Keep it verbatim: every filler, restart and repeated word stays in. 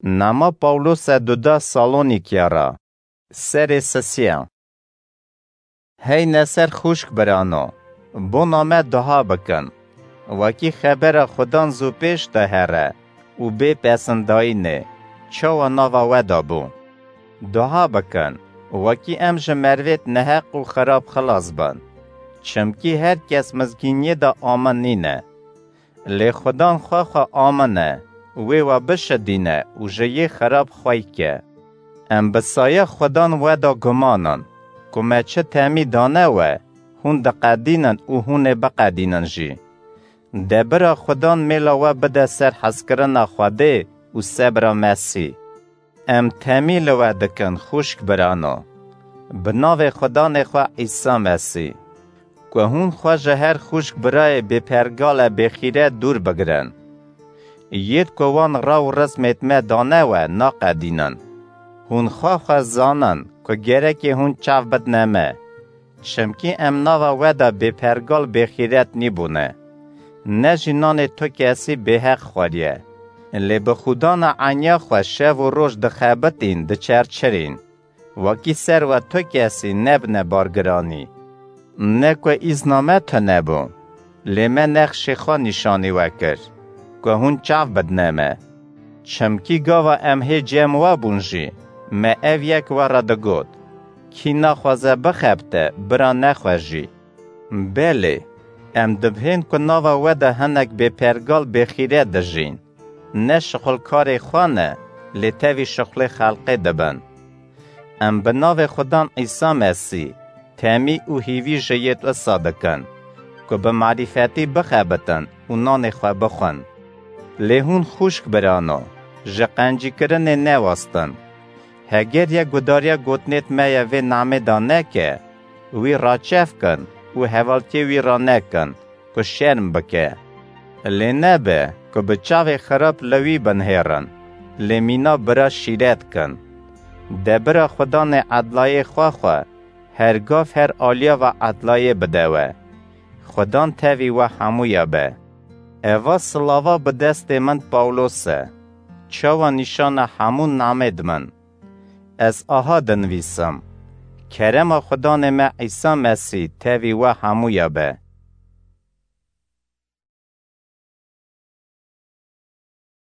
Nama Pawlose duda Salonîkya ra. Serê sisiya. Heyne ser xûşk birano, bona me duha bikin. Wekî xebera Xudan zû pêş de here û bê pesindayînê, çawa nava we de bû. Duha bikin, wekî em ji mervêt neheq û xirab xilas bin. Çimkî her kes mizgîniyê de amin nîne. Lê Xudan xwe xwe amin e, wê we bişidîne û ji yê xirab xwey ke. Em bi saya Xudan we de guman in, ku me çi temî dane we, hûn diqedînin û hûn ê biqedînin jî. De bira Xudan mêla we bide ser hezkirina Xwedê û sebra Mesî. Em temî li we dikin xûşk birano, bi navê Xudanê xwe Îsa Mesî, ku hûn xwe ji her xûşk birayê bêpergale bêxîret dûr bigirin. Yêd ku wan ra û rizmêd me dane we naqedînin. Hûn xwe xwe zanin ku gerekê hûn çav bidne me. Çimkî em nava we de bêpergal bêxîret nîbûne. Ne jî nanê tu kesî bêheq xwariye. Lê bi xûdana enya xwe şev û roj dixebitîn, diçerçirîn. Wekî ser we tu kesî nebine bargiranî. Ne ku îzna me tune bû, lê me nexşê xwe nîşanî we kir, ku hûn çav bidne me. Çimkî gava em hê cem we bûn jî, me ev yek we re digot, kî naxwaze bixebite, bira nexwe jî. Belê, em dibihên ku nava we de hinek bêpergal bêxîret dijîn. Ne şixulkarê xwe ne, lê tevî şixulê xelqê dibin. Em bi navê Xudan Îsa Mesî, temî û hîvî ji yêd wisa dikin, ku bi marîfetî bixebitin û nanê xwe bixwin. Lê hûn xûşk birano, ji qencîkirinê newestin. Heger yek gudariya gotinêd me ye vê namê de neke, wî raçev kin û hevaltiyê wî ranekin, ku şerm bike. Lê nebe ku bi çavê xirab li wî binihêrin, lê mîna bira şîret kin. De bira Xudanê edlayê xwe xwe, her gav her aliya ve edlayê bide we. Xudan tevî we hemûya be. Eva silava bi destê min Pawlos e. Çawa nîşana hemû namêd min. Ez aha dinivîsim. Kerema Xudanê me Îsa Mesî tevî we hemûya be.